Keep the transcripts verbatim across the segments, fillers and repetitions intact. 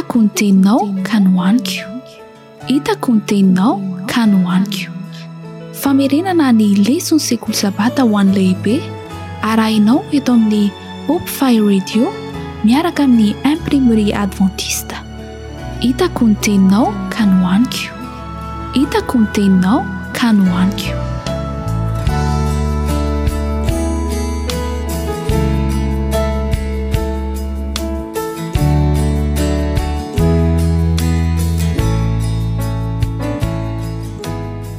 Hitako ny teninao ka nohaniko. Hitako ny teninao ka nohaniko. Famerenana ny leson'ny sekoly sabata ho an'ny lehibe arahinao eto amin'ny Hope Fire Radio miaraka amin'ny Imprimerie Adventiste. Hitako ny teninao ka nohaniko. Hitako ny teninao ka nohaniko.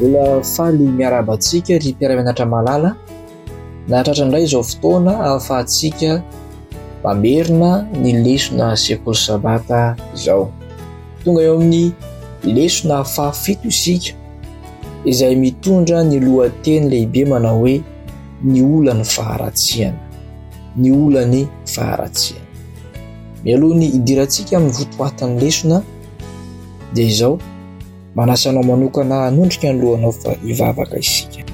Mbola faly miarahaba antsika ry mpiara-mianatra malala. Nahatratra indray izao fotoana ahafahantsika mamerina ny lesona sekoly sabata izao. Tonga eo amin'ny lesona fahafito isika izay mitondra ny lohateny lehibe manao hoe ny olan'ny faharatsiana. Ny olan'ny faharatsiana. Mialoha ny hidirantsika amin'ny votoatin'ny lesona dia izao, manasa anao manokana hanondrika ny lohanao fa hivavaka isika.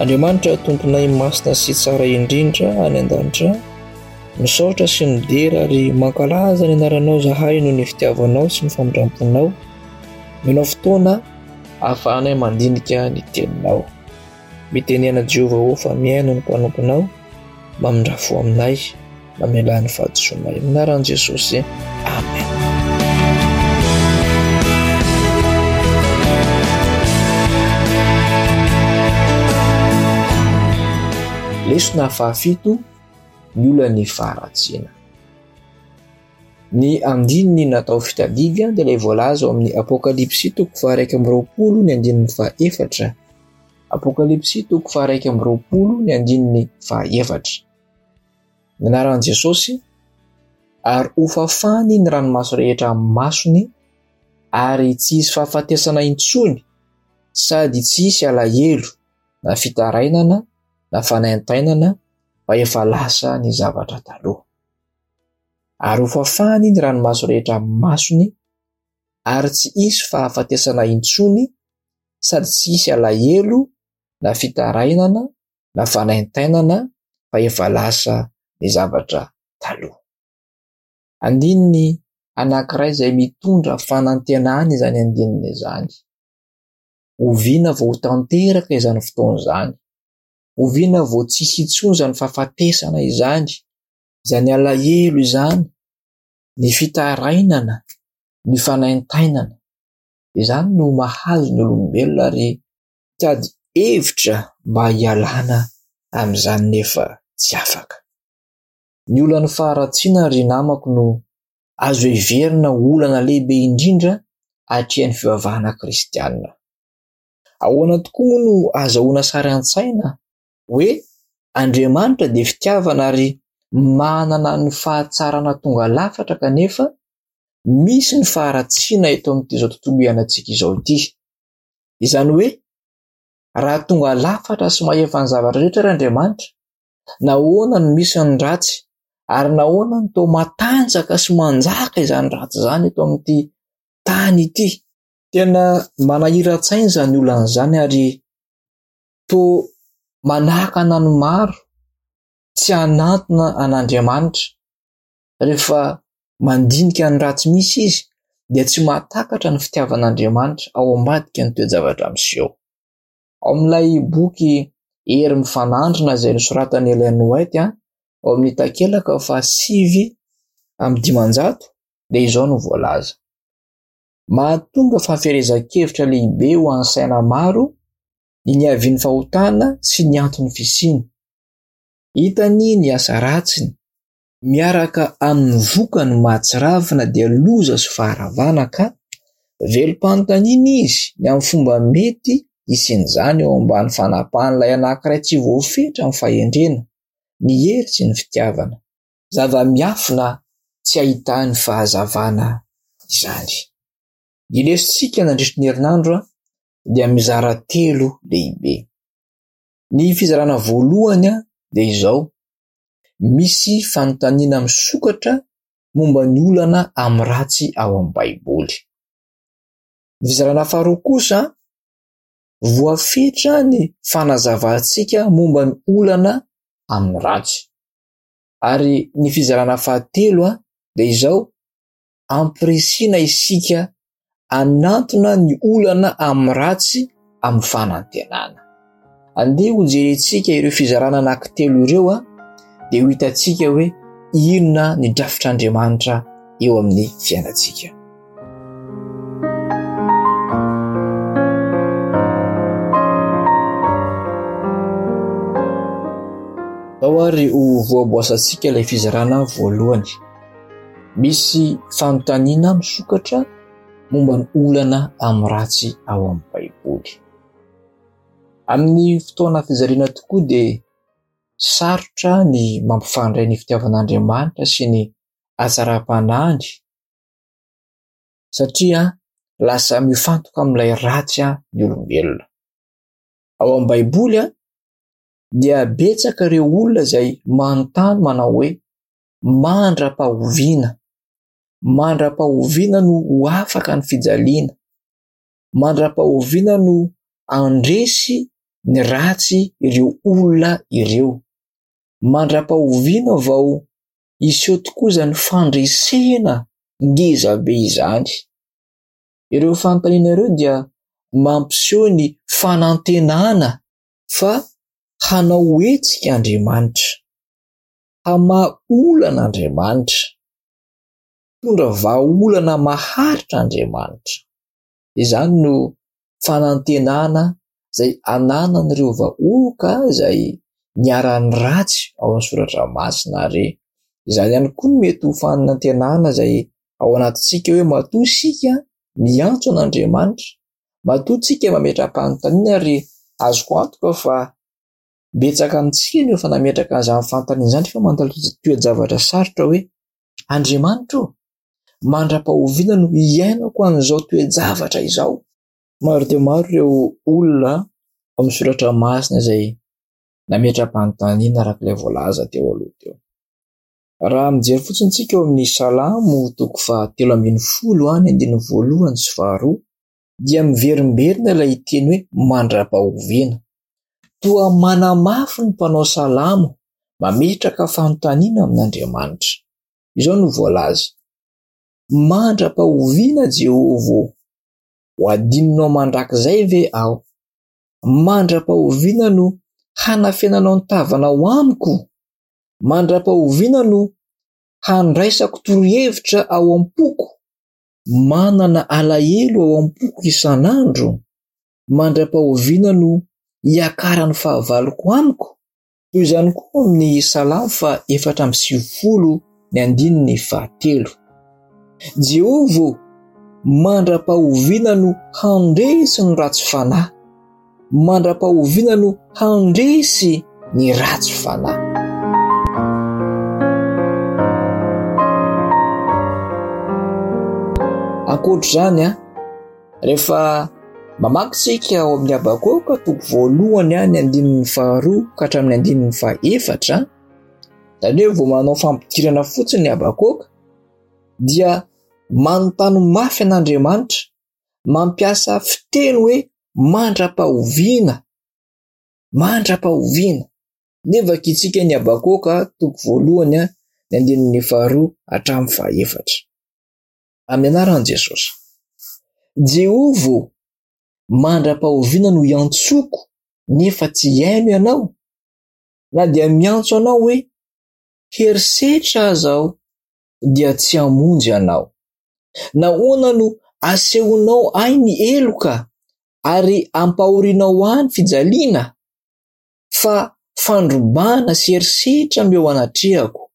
Andriamanitra Tomponay masina sy tsara indrindra any an-danitra, misaotra sy midera ary mankalaza ny anaranao zahay noho ny fitiavanao sy ny famindram-ponao. Omenao fotoana ahafahanay mandinika ny teninao. Mitenena Jehovah ô fa mihaino ny mpanomponao, mamindrà fo aminay, mamelà ny fahadisoanay. Amin'ny anaran'i Jesosy, amen. Lesona fahafito, ny olan'ny faharatsiana. Ny andininy natao fitadidy dia ilay voalaza ao amin'ny Apokalypsy toko faha-iraika amby roapolo ny andininy faha-efatra. Apokalypsy toko faha-iraika amby roapolo ny andininy faha-efatra. Ny anaran'i Jesosy, ary hofafany ny ranomaso rehetra amin'ny masony, ary tsy hisy fahafatesana intsony, sady tsy hisy alahelo na fitarainana na fanaintainana, fa efa lasa ny zavatra taloha. Ary hofafany ny ranomaso rehetra amin'ny masony, ary tsy hisy fahafatesana intsony, sady tsy hisy alahelo na fitarainana na fanaintainana, fa efa lasa ny zavatra taloha. Andininy anankiray izay mitondra fanantenana izany andininy izany. Oviana vao ho tanteraka izany fotoana izany? Oviana vao tsy hisy intsony izany fahafatesana izany, izany alahelo izany, ny fitarainana, ny fanaintainana? Izany no mahazo ny olombelona ary mitady hevitra mba hialana amin'izany nefa tsy afaka. Ny olan'ny faharatsiana ry namako no azo heverina ho olana lehibe indrindra atrehan'ny fivavahana kristianina. Ahoana tokoa moa no azahoana sary an-tsaina hoe Andriamanitra dia fitiavana ary manana ny fahatsarana tonga lafatra kanefa misy ny faharatsiana eto amin'ity izao tontolo iainantsika izao ity. Izany hoe raha tonga lafatra sy mahefa ny zavatra rehetra ary Andriamanitra, nahoana no misy ny ratsy ary nahoana no toa matanjaka sy manjaka izany ratsy izany eto amin'ity tany ity? Tena manahiran-tsaina izany olana izany ary toa manakana ny maro tsy hanantona an'Andriamanitra. Rehefa mandinika ny ratsy misy izy dia tsy mahatakatra ny fitiavan'Andriamanitra ao ambadika ny toe-javatra miseho. Ao amin'ilay boky Hery mifanandrina izay nosoratan'i Ellen White, ao amin'ny takelaka fahasivy amby dimanjato dia izao no voalaza. Mahatonga fahaferezan-kevitra lehibe ho an'ny saina maro ny niavian'ny fahotana sy ny anton'ny fisiany. Hitany ny asa ratsiny miaraka amin'ny vokany mahatsiravina dia loza sy faharavana ka velom-panontaniana izy ny amin'ny fomba mety hisian'izany eo ambany fanapahan'ilay anankiray tsy voafetra amin'ny fahendrena, ny hery sy ny fitiavana. Zava-miafina tsy ahitany fahazavana izany. Ny lesontsika nandritry ny herinandro dia mizara telo lehibe. Ny fizarana voalohany dia izao, misy fanontaniana misokatra momba ny olana amin'ny ratsy ao amin'ny Baiboly. Ny fizarana faharoa kosa, voafetra ny fanazavantsika momba ny olana amin'ny ratsy. Ary ny fizarana fahatelo dia izao, ampirisihina isika hanantona ny olana amin'ny ratsy amin'ny fanantenana. Andeha hojerentsika ireo fizarana anankitelo ireo dia ho hitantsika hoe inona ny drafitr'Andriamanitra eo amin'ny fiainantsika. Ao ary ho voaboasantsika ilay fizarana voalohany. Misy fanontaniana misokatra momba ny olana amin'ny ratsy ao amin'ny Baiboly. Amin'ny fotoana fijaliana tokoa dia sarotra ny mampifandray ny fitiavan'Andriamanitra sy ny hatsaram-panahiny satria lasa mifantoka amin'ilay ratsy ny olombelona. Ao amin'ny Baiboly dia betsaka ireo olona izay manontany manao hoe mandra-pahoviana, mandra-pahoviana no ho afaka ny fijaliana, mandra-pahoviana no handresy ny ratsy ireo olona ireo, mandra-pahoviana vao hiseho tokoa izany fandresena ngeza be izany. Ireo fanontaniana ireo dia mampiseho ny fanantenana fa hanao hetsika Andriamanitra, hamaha olana Andriamanitra, hitondra vahaolana maharitra Andriamanitra. Izany no fanantenana izay ananan'ireo vahoaka izay niharan'ny ratsy ao amin'ny soratra masina, ary izany ihany koa no mety ho fanantenana izay ao anatintsika hoe matoa isika miantso an'Andriamanitra, matoa isika mametra-panontaniana, ary azoko antoka fa betsaka amintsika no efa nametraka an'izany fanontaniana izany fa mandalo toe-javatra sarotra hoe Andriamanitra ô, mandra-pahoviana no hiainako an'izao toe-javatra izao? Maro dia maro ireo olona ao amin'ny soratra masina izay nametra-panontaniana araka ilay voalaza teo aloha teo. Raha mijery fotsiny isika eo amin'ny Salamo toko fahatelo ambin'ny folo ny andininy voalohany sy faharoa dia miverimberina ilay teny hoe mandra-pahoviana. Toa manamafy ny mpanao salamo mametraka fanontaniana amin'Andriamanitra. Izao no voalaza: mandra-pahoviana Jehovah ô, ho adinonao mandrakizay ve aho? Mandra-pahoviana no hanafenanao ny tavanao amiko? Mandra-pahoviana no handraisako torohevitra ao am-poko? Manana alahelo ao am-poko isan'andro? Mandra-pahoviana no hiakaran'ny fahavaloko amiko? Toy izany koa amin'ny Salamo faha efatra amby sivifolo ny andininy fahatelo. Jehovah ô, mandra-pahoviana no handresy ny ratsy fanahy? Mandra-pahoviana no handresy ny ratsy fanahy? Ankoatr'izany, rehefa mamaky isika ao amin'ny Habakoka toko voalohany ny andininy faharoa ka hatramin'ny andininy fahaefatra, izany hoe vao manao fampidirana fotsiny ny Habakoka dia manontany mafy an'Andriamanitra, mampiasa fiteny hoe mandra-pahoviana, mandra-pahoviana. Nefa vakintsika ny Habakoka toko voalohany ny andininy faharoa hatramin'ny fahaefatra. Amin'ny anaran'i Jesosy. Jehovah ô, mandra-pahoviana no hiantsoko nefa tsy hihaino ianao? Na dia miantso anao hoe herisetra aza aho dia tsy hamonjy anao. Nahoana no asehonao ahy ny heloka ary ampahorinao ahy ny fijaliana? Fa fandrobana sy herisetra no eo anatrehako.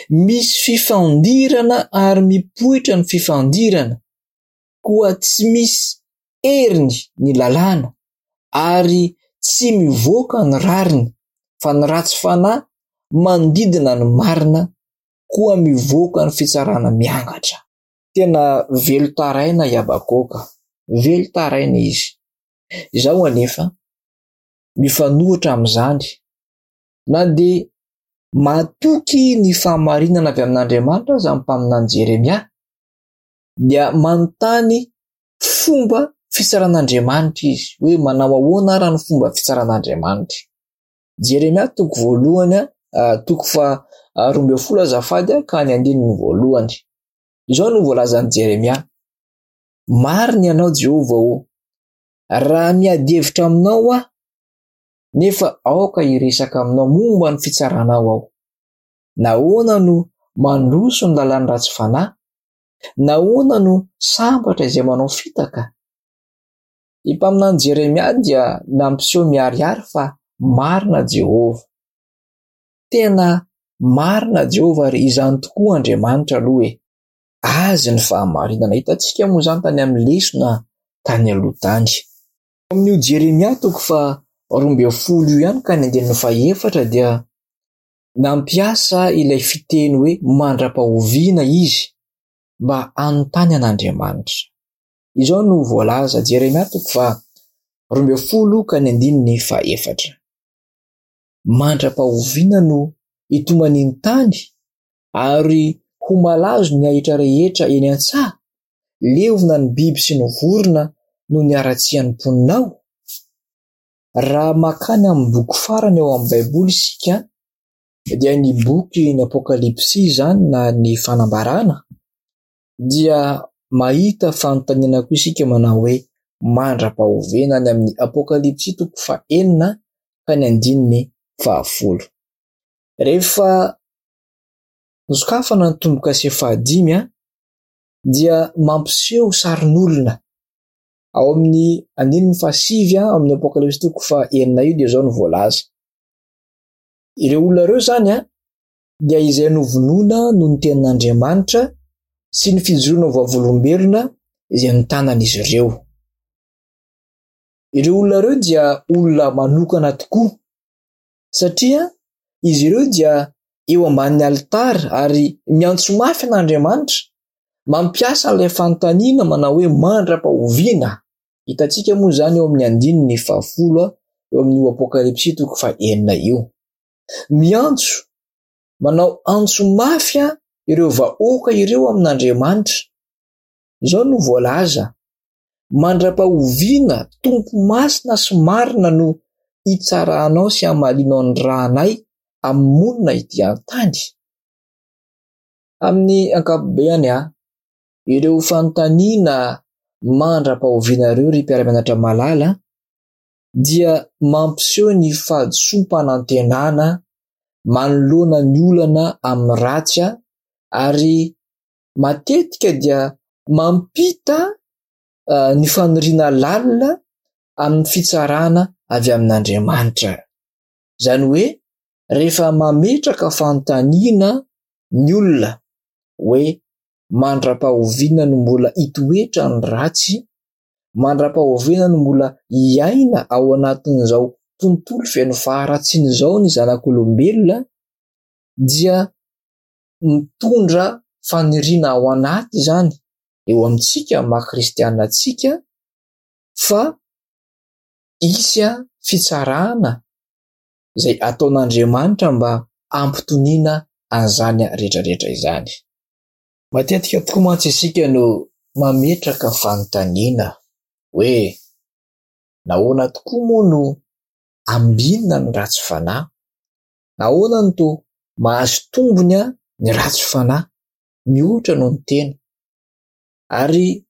Misy fifandirana ary mipoitra ny fifandirana, koa tsy misy heriny ny lalàna ary tsy mivoaka ny rariny, fa ny ratsy fanahy manodidina ny marina, koa mivoaka ny fitsarana miangatra. Tena velon-taraina i Habakoka, velon-taraina izy. Izao anefa, mifanohitra amin'izany, na dia matoky ny fahamarinana avy amin'Andriamanitra aza ny mpaminany Jeremia, dia manontany fomba fitsaran'Andriamanitra izy, hoe manao ahoana ara ny fomba fitsaran'Andriamanitra. Jeremia toko voalohany, toko faha roa ambin'ny folo azafady, ka ny andininy voalohany. Izao no voalazan'i Jeremia: Marina ianao Jehovah ô, raha miady hevitra aminao aho, nefa aoka hiresaka aminao momba ny fitsaranao aho. Nahoana no mandroso ny lalan'ny ratsy fanahy? Nahoana no sambatra izay manao fitaka? Ny mpaminany Jeremia dia nampiseho miharihary fa marina Jehovah. Tena marina Jehovah ary izany tokoa Andriamanitra aloha e. Azy ny fahamarinana. Hitantsika moa izany tany amin'ny lesona tany aloha tany. Amin'io Jeremia toko faha roa ambin'ny folo io ihany ka ny andininy fahaefatra dia nampiasa ilay fiteny hoe mandra-pahoviana izy mba hanontany an'Andriamanitra. Izao no voalaza, Jeremia toko faha roa ambin'ny folo ka ny andininy fahaefatra. Mandra-pahoviana no hitomanian'ny tany ary ho malazo ny ahitra rehetra eny an-tsaha, levona ny biby sy ny vorona noho ny haratsian'ny mponina ao? Raha makany amin'ny boky farany ao amin'ny Baiboly isika, dia ny boky ny Apokalypsy izany na ny fanambarana, dia mahita fanontaniana koa isika manao hoe mandra-pahoviana any amin'ny Apokalypsy toko fahenina ka ny andininy fahafolo. Rehefa nosokafana ny tombo-kase fahadimy dia mampiseho sarin'olona. Ao amin'ny andininy fahasivy amin'ny Apokalypsy toko fahenina io dia izao no voalaza. Ireo olona ireo izany dia izay novonoina noho ny tenin'Andriamanitra sy ny fijoroana vavolombelona izay notanan'izy ireo. Ireo olona ireo dia olona manokana tokoa satria izy ireo dia eo ambanin'ny alitara ary miantso mafy an'Andriamanitra, mampiasa ilay fanontaniana manao hoe mandra-pahoviana. Hitantsika moa izany eo amin'ny andininy fahafolo eo amin'io Apokalypsy toko fahenina io. Miantso, manao antso mafy ireo vahoaka ireo amin'Andriamanitra. Izao no voalaza: mandra-pahoviana Tompo masina sy marina no hitsaranao sy hamalianao ny ranay amin'ny monina ety an-tany. Amin'ny ankapobeny, ireo fanontaniana mandra-pahoviana ireo ry mpiara-mianatra malala dia mampiseho ny fahadisoam-panantenana manoloana ny olana amin'ny ratsy ary matetika dia mampita ny faniriana lalina amin'ny fitsarana avy amin'Andriamanitra. Izany hoe rehefa mametraka fanontaniana ny olona hoe mandra-pahoviana no mbola hitoetra ny ratsy, mandra-pahoviana no mbola hiaina ao anatin'izao tontolo feno faharatsiana izao ny zanak'olombelona, dia mitondra faniriana ao anaty izany eo amintsika maha kristiana antsika fa hisy fitsarana izay ataon'Andriamanitra mba hampitoniana an'izany rehetrarehetra izany. Matetika tokoa mantsy isika no mametraka fanontaniana hoe nahoana tokoa moa no ambinina ny ratsy fanahy? Nahoana no toa mahazo tombony ny ratsy fanahy mihoatra noho ny tena? Ary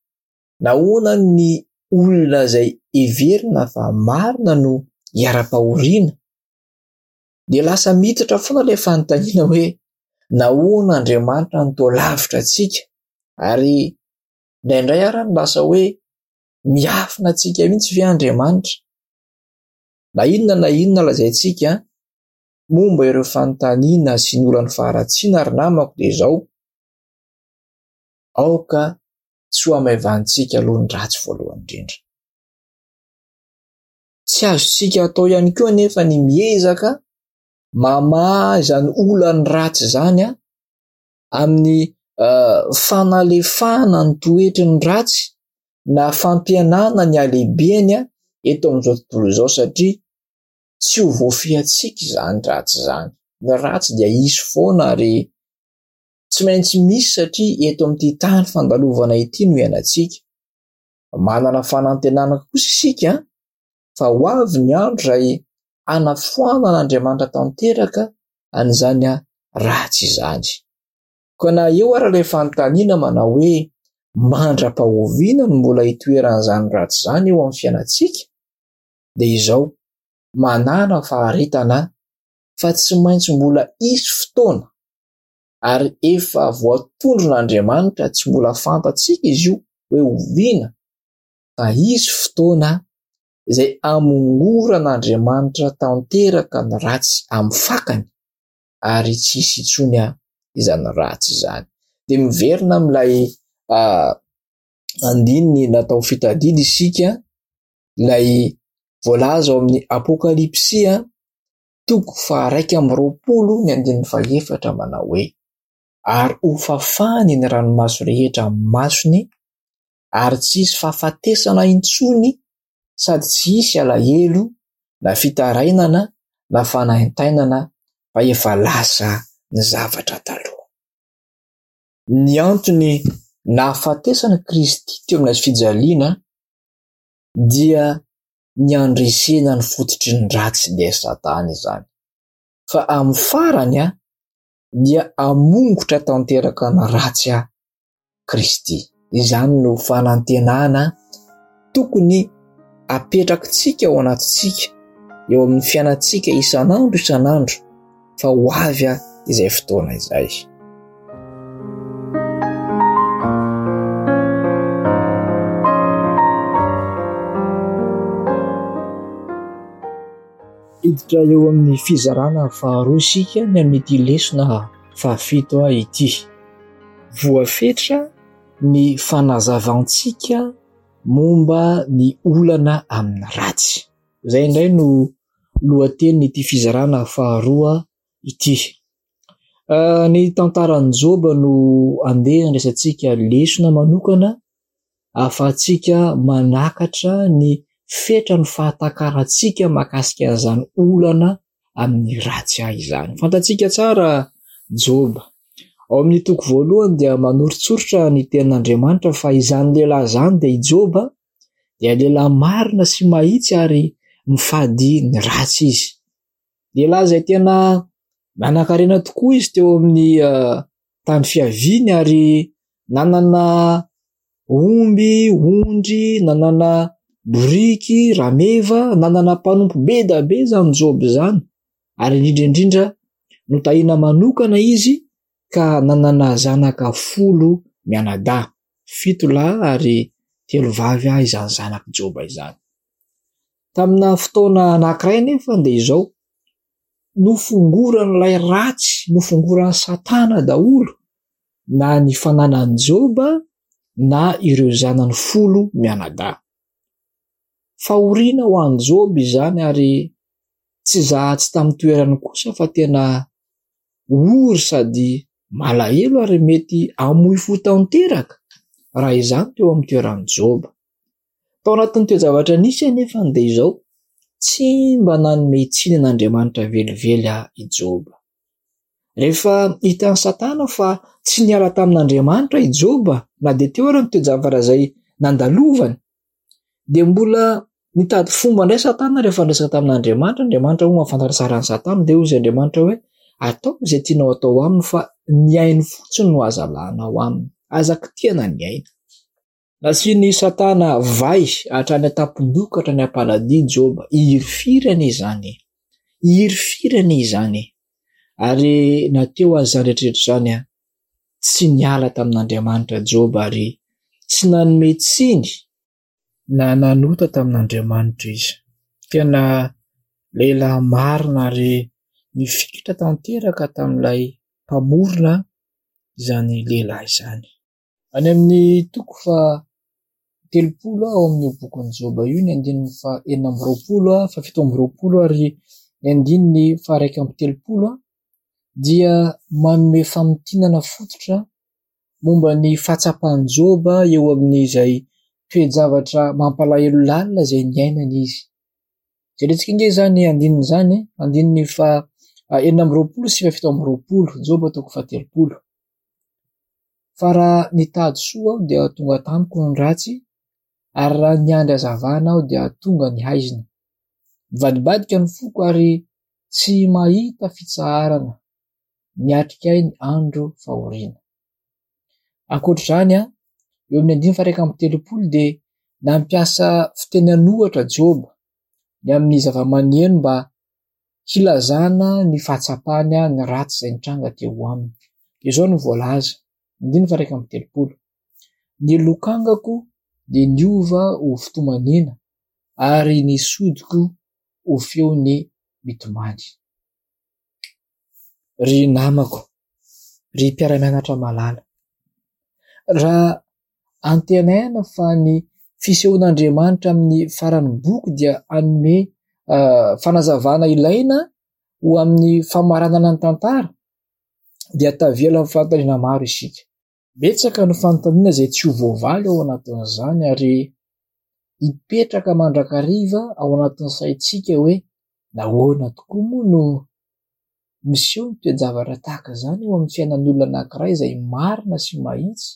nahoana ny olona izay heverina fa marina no hiara-pahoriana? Dia lasa miditra foana ilay fanontaniana hoe nahoana Andriamanitra no toa lavitra antsika? Ary indraindray ary no lasa hoe miafina antsika mihitsy ve Andriamanitra? Na inona na inona lazaintsika momba ireo fanontaniana sy ny olan'ny faharatsiana ary namako dia izao: aoka tsy ho hamaivanintsika aloha ny ratsy voalohany indrindra. Tsy azontsika atao ihany koa anefa ny miezaka mamaha izany olan'ny ratsy izany amin'ny fanalefahana ny toetry ny ratsy na fampihenana ny halehibeny eto amin'izao tontolo izao, satria tsy ho voafehintsika izany ratsy izany. Ny ratsy dia hisy foana ary tsy maintsy misy satria eto amin'ity tany fandalovana ity no iainantsika. Manana fanantenana kosa isika fa ho avy ny andro izay hanafoanan'Andriamanitra tanteraka an'izany ratsy izany. Koa na eo ary ilay fanontaniana manao hoe mandra-pahoviana no mbola hitoeran'izany ratsy izany eo amin'ny fiainantsika, dia izao, manàna faharetana fa tsy maintsy mbola hisy fotoana ary efa voatondron'Andriamanitra, tsy mbola fantatsika izy io hoe oviana, fa hisy fotoana izay hamongoran'Andriamanitra tanteraka ny ratsy amin'ny fakany ary tsy hisy intsony izany ratsy izany. Dia miverina amin'ilay andininy natao fitadidy isika, ilay voalaza ao amin'ny Apokalypsy toko faha-iraika amby roapolo ny andininy faha-efatra manao hoe: ary hofafany ny ranomaso rehetra amin'ny masony ary tsy hisy fahafatesana intsony sady tsy hisy alahelo na fitarainana na fanaintainana fa efa lasa ny zavatra taloha. Ny antony nahafatesana Kristy teo amin'ny hazo fijaliana dia ny handresena ny fototry ny ratsy dia Satana izany. Fa amin'ny farany dia hamongotra tanteraka ny ratsy Kristy. Izany no fanantenana tokony apetrakitsika ao anatintsika, eo amin'ny fiainantsika isan'andro isan'andro, fa ho avy izay fotoana izay. Hiditra eo amin'ny fizarana faharoa isika ny amin'ity lesona fahafito ity. Voafetra ny fanazavantsika momba ny olana amin'ny ratsy. Izay indray no lohatenin'ity fizarana faharoa ity. Ny tantaran'i Joba no andeha handraisantsika lesona manokana ahafahantsika manakatra ny fetran'ny fahatakarantsika mahakasika an'izany olana amin'ny ratsy izany. Fantatsika tsara Joba. Ao amin'ny toko voalohany dia manoritsoritra ny tenin'Andriamanitra fa izany lehilahy izany dia i Joba dia lehilahy marina sy mahitsy ary mifady ny ratsy izy. Lehilahy izay tena nanan-karena tokoa izy teo amin'ny tany fiaviany ary nanana omby, ondry, nanana boriky, rameva, nanana mpanompo be dia be izany Joba izany. Ary indrindra indrindra notahina manokana izy ka nanana zanaka folo mianadahy, fito lahy ary telo vavy izany zanak'i Joba izany. Tamina fotoana anankiray anefa dia izao, nofongoran'ilay ratsy, nofongoran'i Satana daholo na ny fananan'i Joba na ireo zanany folo mianadahy. Fahoriana ho an'i Joba izany ary tsy zaha tsy tamin'ny toerany kosa fa tena ory sady malahelo ary mety hamoy fo tanteraka raha izany teo amin'ny toeran'i Joba. Tao anatin'ny toe-javatra nisy anefa dia izao, tsy mba nanome tsiny an'Andriamanitra velively i Joba. Rehefa hitan'i Satana fa tsy niala tamin'Andriamanitra i Joba na dia teo ary ny toe-javatra izay nandalovany, dia mbola nitady fomba indray Satana rehefa niresaka tamin'Andriamanitra. Andriamanitra moa mahafantatra tsara an'i Satana, dia hoy izy Andriamanitra hoe ataovy izay tianao atao aminy fa ny ainy fotsiny no aza alanao aminy, aza kitihana ny aina. Nasian'i Satana vay hatrany an-tampon-doha ka hatrany am-paladia Joba. Hirifiry anie izany e! Hirifiry anie izany e! Ary na teo aza izany rehetra rehetra izany, tsy niala tamin'Andriamanitra Joba ary tsy nanome tsiny na nanota tamin'Andriamanitra izy. Tena lehilahy marina ary nifikitra tanteraka tamin'ilay mpamorona izany lehilahy izany. Any amin'ny toko faha telopolo ao amin'io bokin'i Joba io, ny andininy faha enina amby roapolo, faha fito amby roapolo ary ny andininy faha iraika amby telopolo dia manome famintinana fototra momba ny fahatsapan'i Joba eo amin'izay toe-javatra mampalahelo lalina izay niainany izy. Jerentsika ange izany andininy izany, andininy faha enina amby roapolo sy faha fito amby roapolo, Joba toko faha telopolo. Fa raha nitady soa aho dia tonga tamiko ny ratsy, ary raha niandry hazavana aho dia tonga ny haizina. Mivadibadika ny foko ary tsy mahita fitsaharana, miatrika ahy ny andro fahoriana. Ankoatra izany, eo amin'ny andininy faha iraika amby telopolo dia nampiasa fiteny an'ohatra Joba ny amin'ny zava-maneno mba hilazana ny fahatsapany ny ratsy izay nitranga teo aminy. Izao no voalaza, andininy faha iraika amby telopolo: Ny lokangako dia niova ho fitomaniana ary ny sodiko ho feon'ny mitomany. Ry namako, ry mpiara-mianatra malala, raha antenaina fa ny fisehoan'Andriamanitra amin'ny faran'ny boky dia hanome fanazavana ilaina ho amin'ny famaranana ny tantara, dia tavela amin'ny fanontaniana maro isika. Betsaka ny fanontaniana izay tsy ho voavaly ao anatin'izany ary hipetraka mandrakariva ao anatin'ny saintsika hoe nahoana tokoa moa no miseho ny toe-javatra tahaka izany eo amin'ny fiainan'ny olona anankiray izay marina sy mahitsy,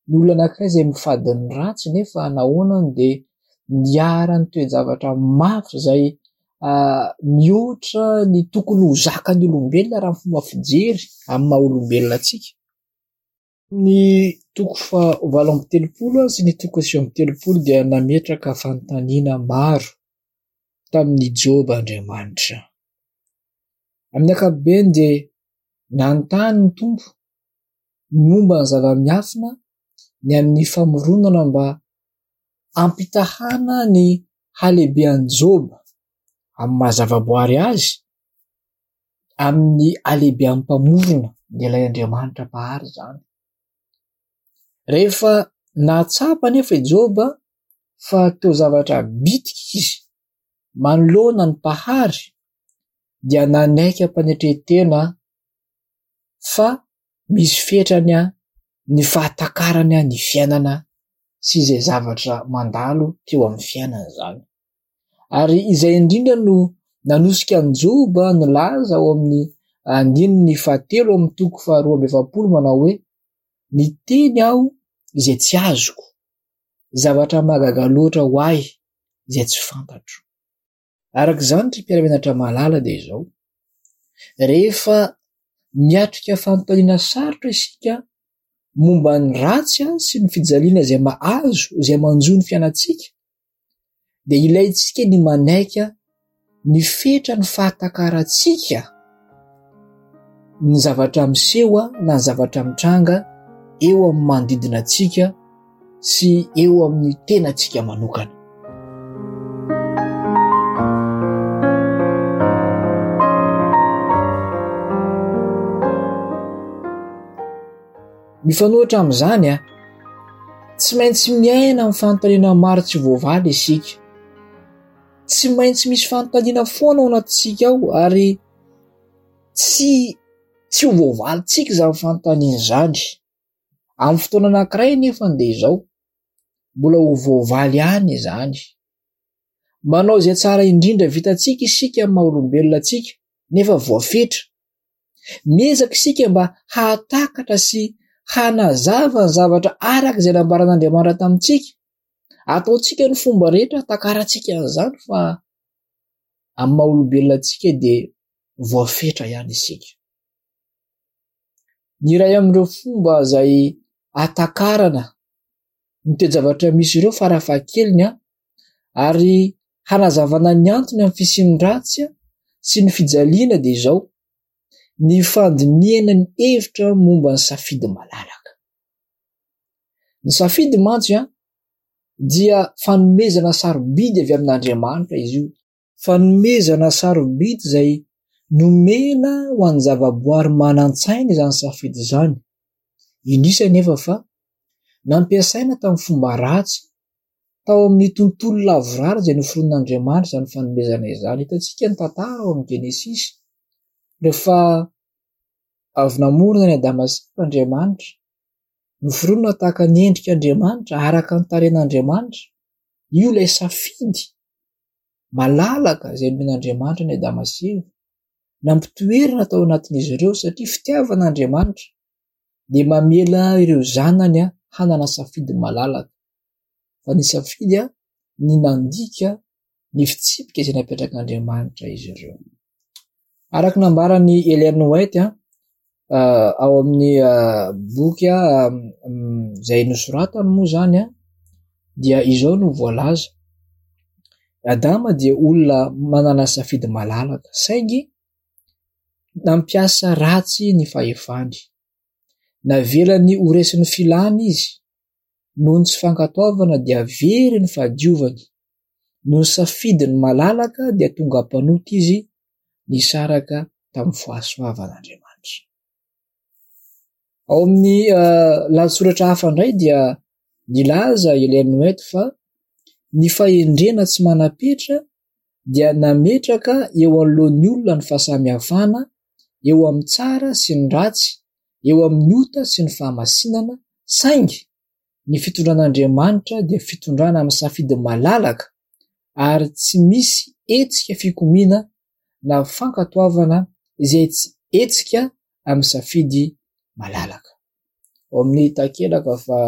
ny olona anankiray izay mifady ny ratsy, nefa nahoana no dia niharan'ny toe-javatra mafy izay mihoatra ny tokony ho zakan'ny olombelona raha ny fomba fijery amin'ny maha olombelona antsika. Ny toko fahavalo amby telopolo sy ny toko sivy amby telopolo dia nametraka fanontaniana maro tamin'i Joba Andriamanitra. Amin'ny ankapobeny dia nanontany ny Tompo ny momba ny zava-miafina ny amin'ny famoronana mba hampitahana ny halehibean'i Joba amin'ny maha zavaboary azy amin'ny halehibean'ny mpamorona, dia ilay Andriamanitra mpahary izany. Rehefa nahatsapa anefa i Joba fa toa zavatra bitika izy manoloana ny mpahary, dia nanaiky am-panetren-tena fa misy fetrany ny fahatakarany ny fiainana sy izay zavatra mandalo teo amin'ny fiainana izany. Ary izay indrindra no nanosika an'i Joba nilaza ao amin'ny andininy fahatelo amin'ny toko faharoa amby efapolo manao hoe: Niteny aho izay tsy azoko, zavatra mahagaga loatra ho ahy izay tsy fantatro. Araka izany, ry mpiara-mianatra mahalala, dia izao: rehefa miatrika fanontaniana sarotra isika momba ny ratsy sy ny fijaliana izay mahazo, izay manjo ny fiainantsika, dia ilaintsika ny manaiky ny fetra ny fahatakarantsika ny zavatra miseho na ny zavatra mitranga eo amin'ny manodidina antsika sy eo amin'ny tenantsika manokana. Mifanohitra amin'izany, tsy maintsy miaina amin'ny fanontaniana maro tsy voavaly isika. Tsy maintsy misy fanontaniana foana ao anatintsika ao ary tsy, tsy ho voavalintsika izany fanontaniana izany. Amin'ny fotoana anankiray nefa dia izao, mbola ho voavaly ihany izany. Manao izay tsara indrindra vitantsika isika amin'ny maha olombelona antsika, nefa voafetra. Miezaka isika mba hahatakatra sy hanazava ny zavatra araka izay nambaran'Andriamanitra tamintsika. Ataontsika ny fomba rehetra hatakarantsika an'izany, fa amin'ny maha olombelona antsika dia voafetra ihany isika. Ny iray amin'ireo fomba izay hatakarana ny toe-javatra misy ireo farafahakeliny ary hanazavana ny antony amin'ny fisian'ny ratsy sy ny fijaliana dia izao: ny fandinihana ny hevitra momba ny safidy malalaka. Ny safidy mantsy dia fanomezana sarobidy avy amin'Andriamanitra izy io. Fanomezana sarobidy izay nomena ho an'ny zavaboary manan-tsaina izany safidy izany. Indrisy anefa fa nampiasaina tamin'ny fomba ratsy tao amin'ny tontolo lavorary izay noforonin'Andriamanitra izany fanomezana izany. Hitantsika ny tantara ao amin'ny Genesisy, rehefa avy namorona ny Adama sy Eva Andriamanitra, noforonina tahaka ny endrik'Andriamanitra, araka ny tarehin'Andriamanitra. Io ilay safidy malalaka izay nomen'Andriamanitra ny Adama sy Eva, nampitoerana tao anatin'izy ireo satria fitiavan'Andriamanitra dia mamela ireo zanany hanana safidy malalaka. Fa ny safidy ny nandika ny fitsipika izay napetrak'Andriamanitra izy ireo. Araka ny nambaran'i Ellen White ao amin'ny boky izay nosoratany moa izany dia izao no voalaza: Adama dia olona manana safidy malalaka saingy nampiasa ratsy ny fahefany. Navelany ho resin'ny filany izy. Noho ny tsy fankatoavana dia very ny fahadiovany. Noho ny safidiny malalaka dia tonga mpanota izy, nisaraka tamin'ny fahasoavan'Andriamanitra. Ao amin'ny lahatsoratra hafa indray dia nilaza Ellen White fa ny fahendrena tsy manam-petra dia nametraka eo anoloan'ny olona ny fahasamihafana eo amin'ny tsara sy ny ratsy, eo amin'ny ota sy ny fahamasinana, saingy ny fitondran'Andriamanitra dia fitondrana amin'ny safidy malalaka ary tsy misy hetsika fikomiana na fankatoavana izay tsy hetsika amin'ny safidy malalaka. Ao amin'ny takelaka fa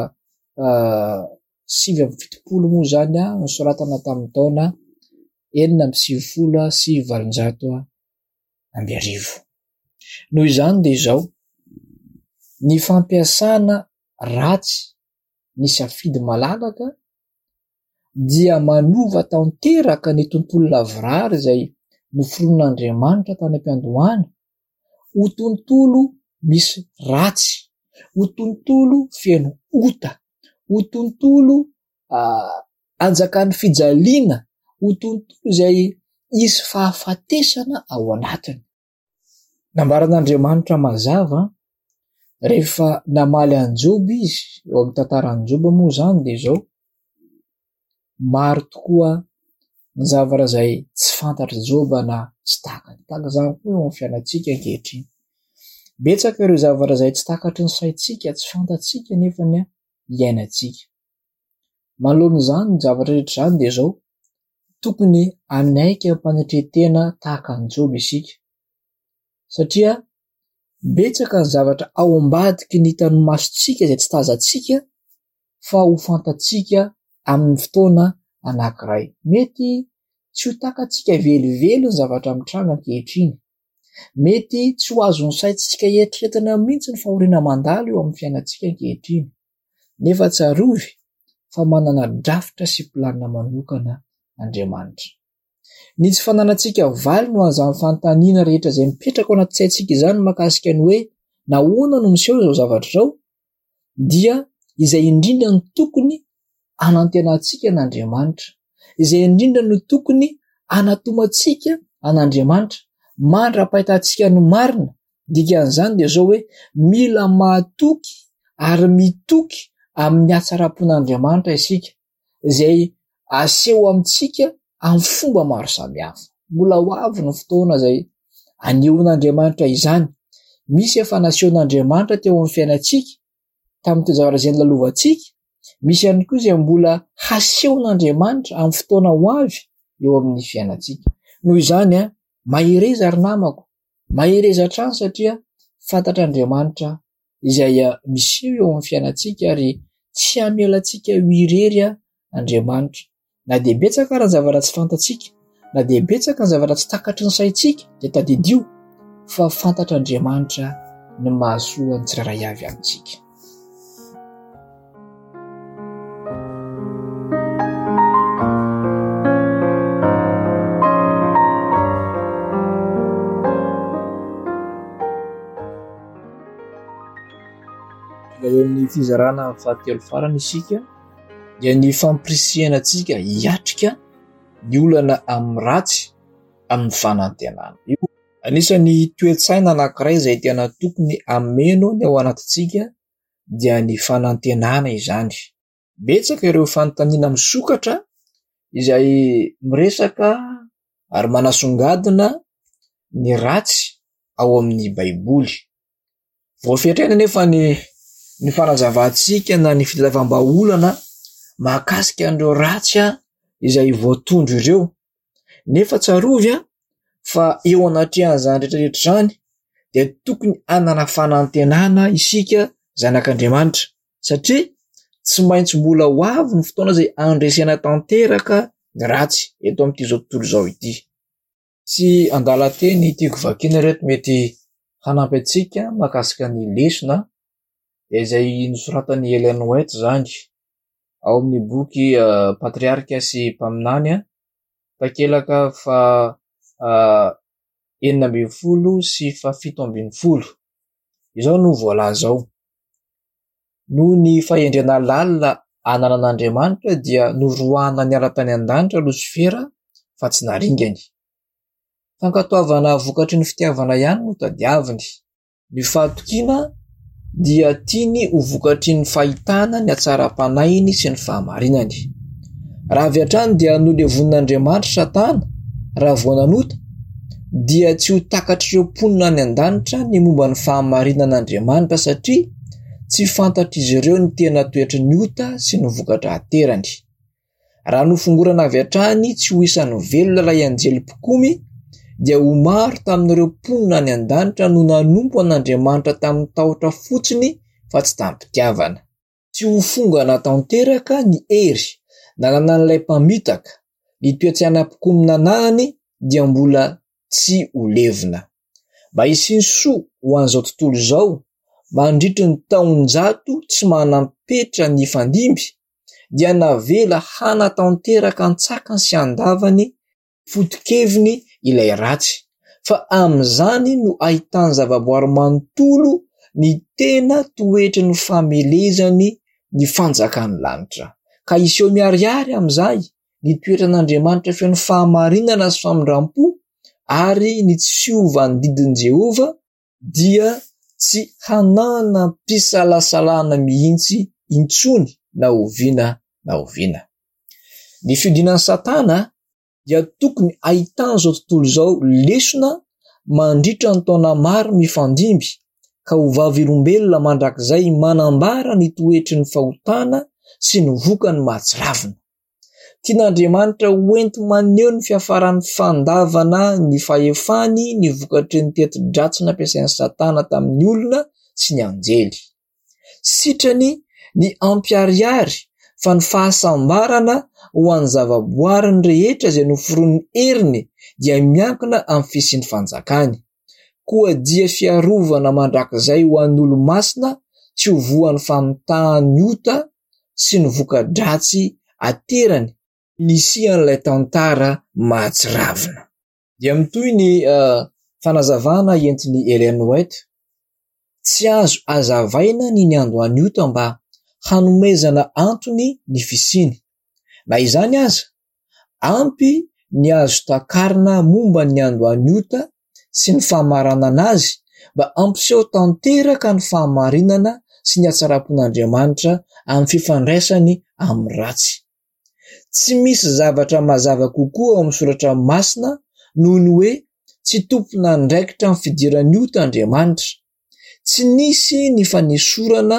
sivy amby fitopolo moa izany nosoratana tamin'ny taona enina amby sivifolo sy valonjato amby arivo. Noho izany dia izao, ny fampiasana ratsy ny safidy malalaka dia manova tanteraka ny tontolo lavorary izay noforonin'Andriamanitra tany am-piandohana ho tontolo misy ratsy, ho tontolo feno ota, ho tontolo anjakan'ny fijaliana, ho tontolo izay hisy fahafatesana ao anatiny. Nambaran'Andriamanitra mazava rehefa namaly an'i Joba izy, eo amin'ny tantaran'i Joba moa izany dia izao: maro tokoa ny zavatra izay tsy fantatr'i Joba na tsy takany. Tahaka izany koa eo amin'ny fiainantsika ankehitriny. Betsaka ireo zavatra izay tsy takatry ny saintsika, tsy fantatsika nefa ny iainantsika. Manoloana izany ny zavatra rehetra izany dia izao: tokony hanaiky am-panetren-tena tahaka an'i Joba isika, satria betsaka ny zavatra ao ambadiky ny hitan'ny masontsika izay tsy tazantsika fa ho fantatsika amin'ny fotoana anankiray. Mety tsy ho takatsika velively ny zavatra mitranga ankehitriny. Mety tsy ho azon'ny saintsika eritreretina mihitsy ny fahoriana mandalo eo amin'ny fiainantsika ankehitriny. Nefa tsarovy fa manana drafitra sy planina manokana Andriamanitra. Ny tsy fananantsika valiny ho an'izany fanontaniana rehetra izay mipetraka ao anaty saintsika izany mahakasika ny hoe nahoana no miseho izao zavatra izao, dia izay indrindra no tokony hanantenantsika an'Andriamanitra, izay indrindra no tokony hanatomantsika an'Andriamanitra mandra-pahitantsika ny marina. Dikan'izany dia izao hoe mila mahatoky ary mitoky amin'ny hatsaram-pon'Andriamanitra isika, izay aseho amintsika amin'ny fomba maro samihafa. Mbola ho avy ny fotoana izay anehoan'Andriamanitra izany. Misy efa nasehon'Andriamanitra teo amin'ny fiainantsika tamin'ny toe-javatra izay nolalovantsika, misy ihany koa izay mbola hasehon'Andriamanitra amin'ny fotoana ho avy eo amin'ny fiainantsika. Noho izany, mahereza ry namako, mahereza hatrany satria fantatr'Andriamanitra izay miseho eo amin'ny fiainantsika ary tsy hamela antsika ho irery Andriamanitra. Na dia betsaka ary ny zavatra tsy fantatsika, na dia betsaka ny zavatra tsy takatry ny saintsika, dia tadidio fa fantatr'Andriamanitra ny mahasoa ny tsirairay avy amintsika. Eo amin'ny fizarana fahatelo farany isika dia ny fampirisihana antsika hiatrika ny olana amin'ny ratsy amin'ny fanantenana. Io anisan'ny toe-tsaina anankiray izay tena tokony hameno ny ao anatintsika dia ny fanantenana izany. Betsaka ireo fanontaniana misokatra izay miresaka ary manasongadina ny ratsy ao amin'ny Baiboly. Voafetra anefa ny ny fanazavantsika na ny fitadiavam-bahaolana mahakasika an'ireo ratsy izay voatondro ireo. Nefa tsarovy fa eo anatrehan'izany rehetra rehetra izany dia tokony hanana fanantenana isika zanak'Andriamanitra, satria tsy maintsy mbola ho avy ny fotoana izay handresena tanteraka ny ratsy eto amin'ity izao tontolo izao ity. Misy andalan-teny tiako vakiana ireto mety hanampy antsika mahakasika ny lesona, dia izay nosoratan'i Ellen White izany ao amin'ny boky Patriarika sy Mpaminany, takelaka faha enina ambin'ny folo sy fahafito ambin'ny folo. Izao no voalaza ao: noho ny fahendrena lalina ananan'Andriamanitra dia noroahana niala tany an-danitra Losifera fa tsy naringany. Fankatoavana vokatry ny fitiavana ihany no tadiaviny. Ny fahatokiana dia tiany ho vokatry ny fahitana ny hatsaram-panahiny sy ny fahamarinany. Raha avy hatrany dia nolevonin'Andriamanitra Satana raha vao nanota, dia tsy ho takatr'ireo mponina any an-danitra ny momba ny fahamarinan'Andriamanitra satria tsy fantatr'izy ireo ny tena toetry ny ota sy ny vokatra aterany. Raha nofongorana avy hatrany tsy ho isan'ny velona ilay anjely mpikomy, dia ho maro tamin'ireo mponina any an-danitra no nanompo an'Andriamanitra tamin'ny tahotra fotsiny fa tsy tamim-pitiavana. Tsy ho fongana tanteraka ny hery nananan'ilay mpamitaka, ny toe-tsaina mpikomy nananany dia mbola tsy ho levona. Mba hisian'ny soa ho an'izao tontolo izao mandritry ny taonjato tsy manam-petra ny fandimby, dia navela hanatanteraka an-tsakany sy an-davany foto-keviny ilay ratsy, fa amin'izany no ahitany zavaboary manontolo ny tena toetry ny famelezany ny fanjakan'ny lanitra. Ka hiseho miharihary amin'izay ny toetran'Andriamanitra feno fahamarinana sy famindram-po ary ny tsy fiovan'ny didin'i Jehovah dia tsy hananam-pisalasalana mihitsy intsony na oviana na oviana. Ny fiodinan'i Satana dia tokony ahitan'izao tontolo izao lesona mandritra ny taona maro mifandimby ka ho vavolombelona mandrakizay manambara ny toetry ny fahotana sy ny vokany mahatsiravina. Tian'Andriamanitra ho enti-maneho ny fiafaran'ny fandavana ny fahefany ny vokatry ny teti-dratsy nampiasain'i Satana tamin'ny olona sy ny anjely. Sitrany ny hampiharihary fa ny fahasambarana ho an'ny zavaboariny rehetra izay noforonin'ny heriny dia miankina amin'ny fisian'ny fanjakany. Koa dia fiarovana mandrakizay ho an'ny olo-masina tsy ho voan'ny famitahan'ny ota sy ny voka-dratsy aterany nisian'ilay tantara mahatsiravina. Dia mitohy ny fanazavana entin'i Ellen White. Tsy azo hazavaina ny niandohan'ny ota mba hanomezana antony ny fisiany. Na izany aza, ampy ny azo takarina momba ny niandohan'ny ota sy ny famaranana azy mba hampiseho tanteraka ny fahamarinana sy ny hatsaram-pon'Andriamanitra amin'ny fifandraisany amin'ny ratsy. Tsy misy zavatra mazava kokoa ao amin'ny soratra masina noho ny hoe tsy tompon'andraikitra amin'ny fidiran'ny ota Andriamanitra. Tsy nisy ny fanesorana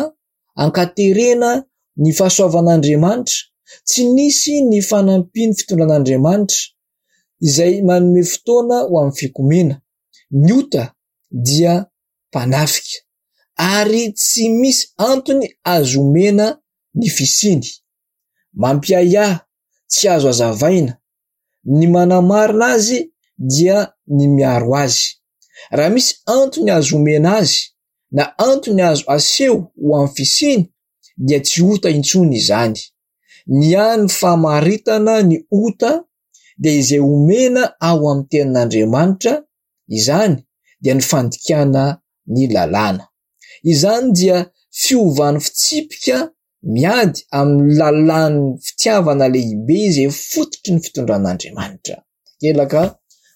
ankaterena ny fahasoavan'Andriamanitra, tsy nisy ny fanampian'ny fitondran'Andriamanitra izay manome fotoana ho amin'ny fikomiana. Ny ota dia mpanafika ary tsy misy antony azo omena ny fisiany. Mampiahiahy, tsy azo hazavaina. Ny manamarina azy dia ny miaro azy. Raha misy antony azo omena azy na antony azo aseho ho amin'ny fisiany dia tsy ota intsony izany. Ny hany famaritana ny ota dia izay omena ao amin'ny tenin'Andriamanitra, izany dia ny fandikana ny lalàna. Izany dia fiovan'ny fitsipika miady amin'ny lalàn'ny fitiavana lehibe izay fototry ny fitondran'Andriamanitra. Takelaka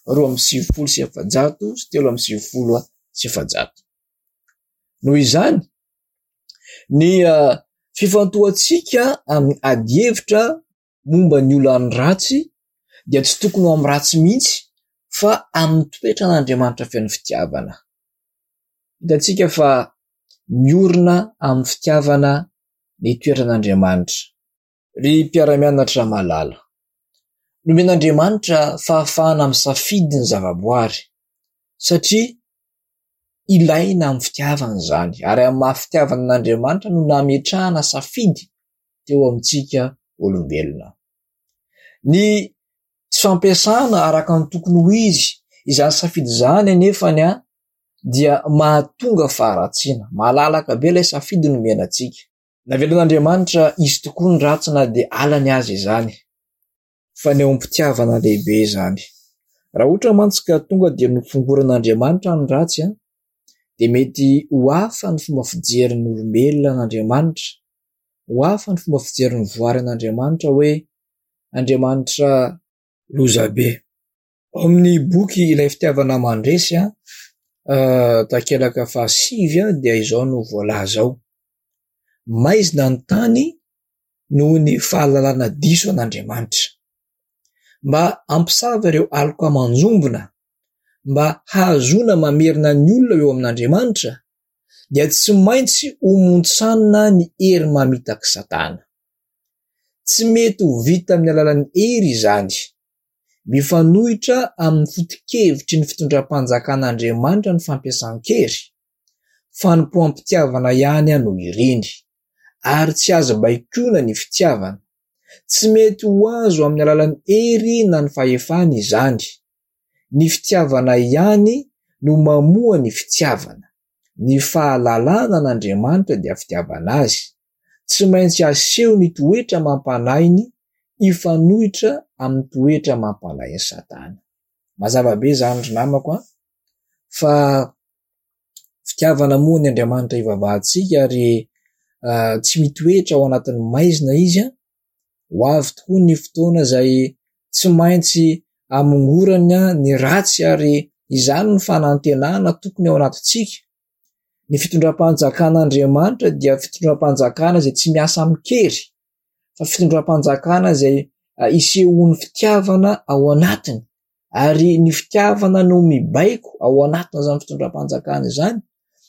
roa amby sivifolo sy efajato sy telo amby sivifolo sy efajato. Noho izany, ny fifantohantsika amin'ny adihevitra momba ny olan'ny ratsy dia tsy tokony ho amin'ny ratsy mihitsy fa amin'ny toetran'Andriamanitra feno fitiavana. Hitantsika fa miorina amin'ny fitiavana ny toetran'Andriamanitra. Ry mpiara-mianatra malala, nomen'Andriamanitra fahafahana misafidy ny zavaboary satria ilaina amin'ny fitiavana izany, ary amin'ny maha fitiavana an'Andriamanitra no nametrahana safidy teo amintsika olombelona. Ny tsy fampiasana araka ny tokony ho izy izany safidy izany anefany dia mahatonga faharatsiana. Malalaka be ilay safidy nomena antsika. Navelan'Andriamanitra hisy tokoa ny ratsy na dia halany aza izany. Fanehoam-pitiavana lehibe izany. Raha ohatra mantsy ka tonga dia nofongoran'Andriamanitra ny ratsy, dia mety ho hafa ny fomba fijerin'ny olombelona an'Andriamanitra, ho hafa ny fomba fijerin'ny voary an'Andriamanitra hoe Andriamanitra lozabe. Ao amin'ny boky Ilay Fitiavana Mandresy, takelaka fahasivy dia izao no voalaza ao: maizina ny tany noho ny fahalalana diso an'Andriamanitra. Mba hampisava ireo aloka manjombona, mba hahazoana mamerina ny olona eo amin'Andriamanitra, dia tsy maintsy homontsanina ny hery mamitak'i Satana. Tsy mety ho vita amin'ny alalan'ny hery izany. Mifanohitra amin'ny foto-kevitry ny fitondram-panjakan'Andriamanitra ny fampiasan-kery. Fanompoam-pitiavana ihany no iriny, ary tsy azo baikoina ny fitiavana. Tsy mety ho azo amin'ny alalan'ny hery na ny fahefana izany. Ny fitiavana ihany no mamoha ny fitiavana. Ny fahalalana an'Andriamanitra dia fitiavana azy. Tsy maintsy aseho ny toetra amam-panahiny hifanohitra amin'ny toetra amam-panahin'i Satana. Mazava be izany ry namako a, fa fitiavana moa ny Andriamanitra ivavahantsika ary tsy mitoetra ao anatin'ny maizina izy. Ho avy tokoa ny fotoana izay tsy maintsy hamongorana ny ratsy ary izany no fanantenana tokony ao anatintsika. Ny fitondram-panjakan'Andriamanitra dia fitondram-panjakana izay tsy miasa amin-kery, fa fitondram-panjakana izay isehoan'ny fitiavana ao anatiny, ary ny fitiavana no mibaiko ao anatin'izany fitondram-panjakana izany,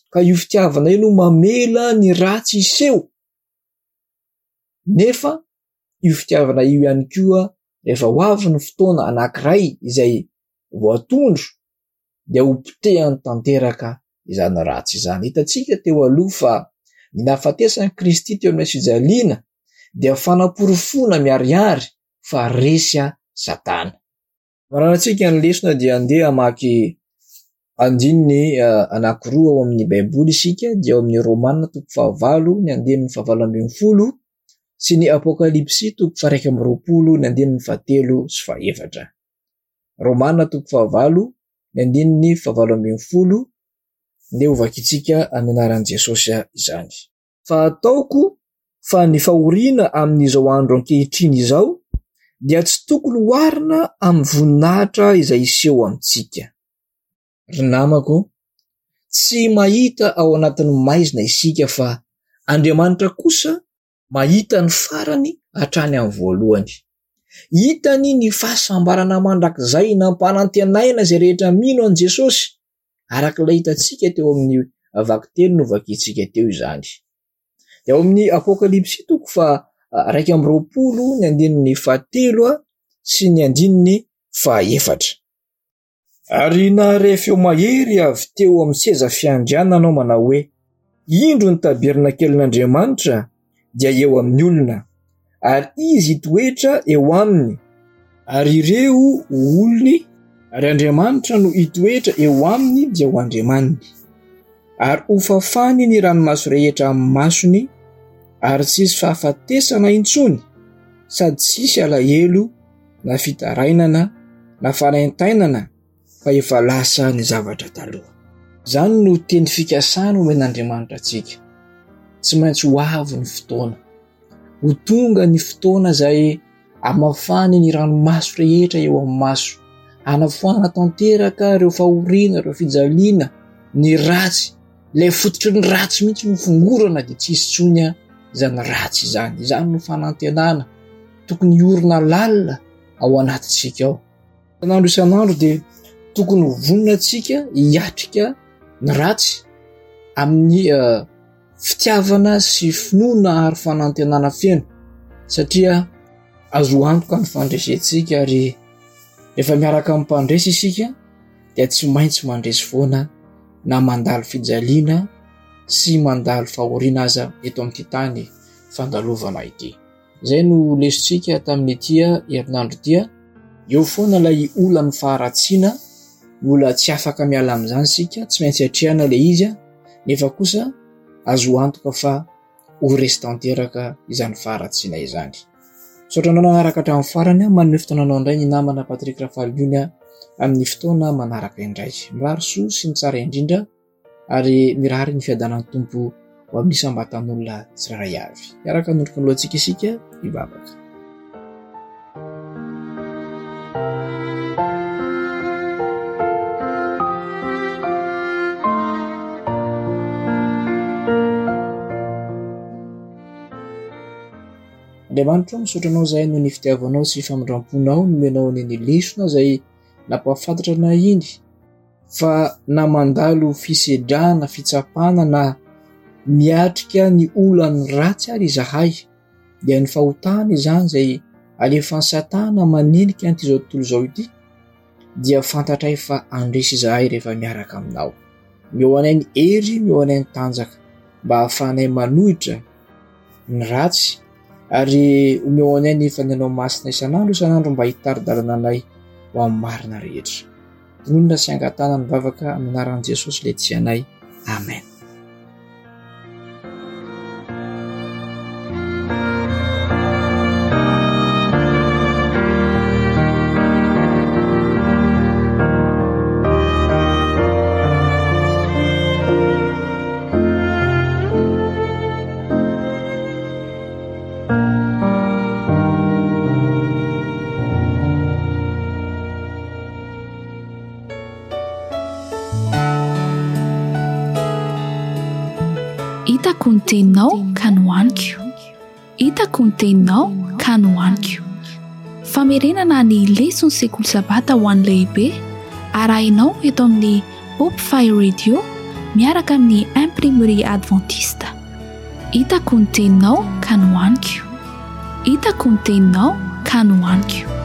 ka io fitiavana io no mamela ny ratsy hiseho. Nefa io fitiavana io ihany koa rehefa ho avy ny fotoana anankiray izay voatondro dia ho potehany tanteraka izany ratsy izany. Hitantsika teo aloha fa ny nahafatesan'i Kristy teo amin'ny fijaliana dia fanaporofoana miharihary fa resy Satana. Mararantsika ny lesona dia andeha hamaky andininy anankiroa ao amin'ny Baiboly isika, dia ao amin'ny Romana toko fahavalo ny andininy fahavalo ambin'ny folo sy ny Apokalypsy toko faha-iraika amby roapolo ny andininy fahatelo sy fahefatra. Romana toko fahavalo ny andininy fahavalo ambin'ny folo, ndeha ho vakintsika amin'ny anaran'i Jesosy izany. Fa ataoko fa ny fahoriana amin'izao andro ankehitriny izao dia tsy tokony hoharina amin'ny voninahitra izay hiseho amintsika. Ry namako, tsy mahita ao anatin'ny maizina isika fa Andriamanitra kosa mahita ny farany hatrany amin'ny voalohany. Hitany ny fahasambarana mandrakizay nampanantenaina izay rehetra mino an'i Jesosy, araka ilay hitantsika teo amin'ny vakiteny novakintsika teo izany. Dia ao amin'ny Apokalypsy toko faha-iraika amby roapolo ny andininy fahatelo sy ny andininy fahaefatra. Ary nahare feo mahery avy teo amin'ny seza fiandrianana aho manao hoe: indro ny tabernakelin'Andriamanitra dia eo amin'ny olona, ary izy hitoetra eo aminy, ary ireo ho olony, ary Andriamanitra no hitoetra eo aminy dia ho Andriamaniny. Ary hofafany ny ranomaso rehetra amin'ny masony, ary tsy hisy fahafatesana intsony, sady tsy hisy alahelo na fitarainana na fanaintainana, fa efa lasa ny zavatra taloha. Izany no teny fikasana omen'Andriamanitra antsika. Tsy maintsy ho avy ny fotoana. Ho tonga ny fotoana izay hamafany ny ranomaso rehetra eo amin'ny maso, hanafoanana tanteraka ireo fahoriana, ireo fijaliana, ny ratsy. Ilay fototry ny ratsy mihitsy no fongorana dia tsy hisy intsony izany ratsy izany. Izany no fanantenana tokony hiorina lalina ao anatintsika ao. Isan'andro isan'andro dia tokony ho vonona antsika hiatrika ny ratsy amin'ny fitiavana sy finoana ary fanantenana feno, satria azo antoka ny fandresentsika, ary rehefa miaraka amin'ny mpandresy isika dia tsy maintsy mandresy foana na mandalo fijaliana sy mandalo fahoriana aza eto amin'ity tany fandalovana ity. Izay no lesontsika tamin'ity herinandro ity. Eo foana ilay olan'ny faharatsiana, mbola tsy afaka miala amin'izany isika, tsy maintsy atrehana ilay izy, nefa kosa azo antoka fa ho resy tanteraka izany faharatsiana izany. Misaotra anao nanaraka hatramin'ny farany, manome fotoana anao indray ny namana Patrick Rafaliony amin'ny fotoana manaraka indray. Mirary soa sy ny tsara indrindra ary mirary ny fiadanan'ny Tompo ho amin'ny isam-batan'olona tsirairay avy. Hiaraka hanondroka ny lohantsika isika hivavaka. Andriamanitra, misaotra anao izahay noho ny fitiavanao sy famindram-ponao nomenao ny ny lesona izay nampahafantatra anay iny fa na mandalo fisedrana, fitsapana na miatrika ny olan'ny ratsy ary izahay dia ny fahotana izany izay alefan'i Satana manenika an'ity izao tontolo izao ity dia fantatray fa handresy izahay rehefa miaraka aminao. Omeo anay ny hery, omeo anay ny tanjaka mba hahafahanay manohitra ny ratsy ary omeo anay ny Fanahinao Masina isan'andro isan'andro mba hitari-dalana anay ho amin'ny marina rehetra. Tononina sy angatahana ny vavaka amin'ny anaran'i Jesosy ilay tia anay. Amen. Hitako ny teninao ka nohaniko. Hitako ny teninao ka nohaniko. Famerenana ny leson'ny sekoly sabata ho an'ny lehibe arahinao eto amin'ny Hope Fire Radio miaraka amin'ny Imprimerie Adventiste. Hitako ny teninao ka nohaniko. Hitako ny teninao ka nohaniko.